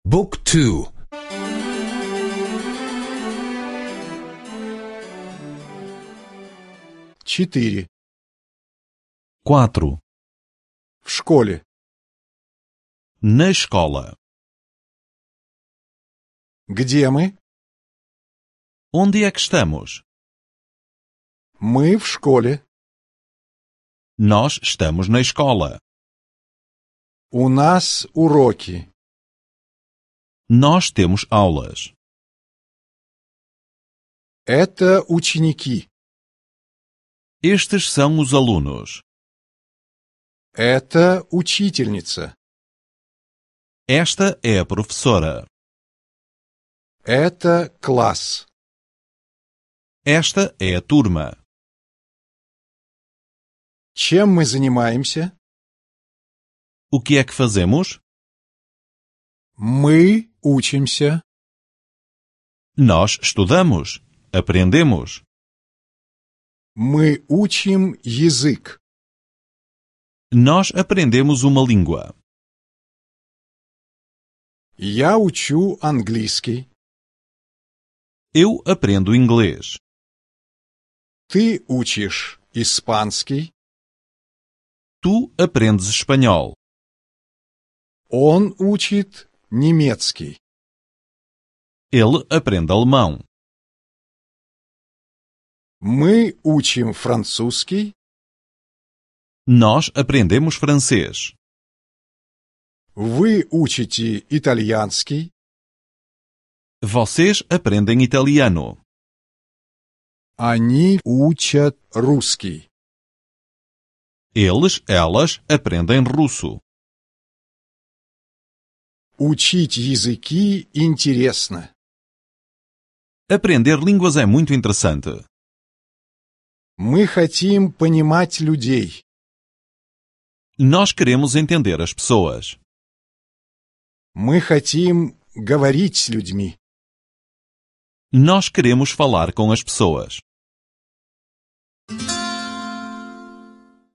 Book 2. 4. 4. В школе. Na escola. Где мы? Onde é que estamos? Мы в школе. Nós estamos na escola. У нас уроки. Nós temos aulas. Это ученики. Estes são os alunos. Это учительница. Esta é a professora. Это класс. Esta é a turma. Чем мы занимаемся? O que é que fazemos? Мы учимся. Nós estudamos. Aprendemos. Мы учим язык. Nós aprendemos uma língua. Я учу английский. Eu aprendo inglês. Ты учишь испанский. Tu aprendes espanhol. Он учит немецкий. Ele aprende alemão. Мы учим французский. Nós aprendemos francês. Вы учите итальянский. Vocês aprendem italiano. Они учат русский. Eles, elas aprendem russo. Учить языки интересно. Aprender línguas é muito interessante. Мы хотим понимать людей. Nós queremos entender as pessoas. Мы хотим говорить с людьми. Nós queremos falar com as pessoas.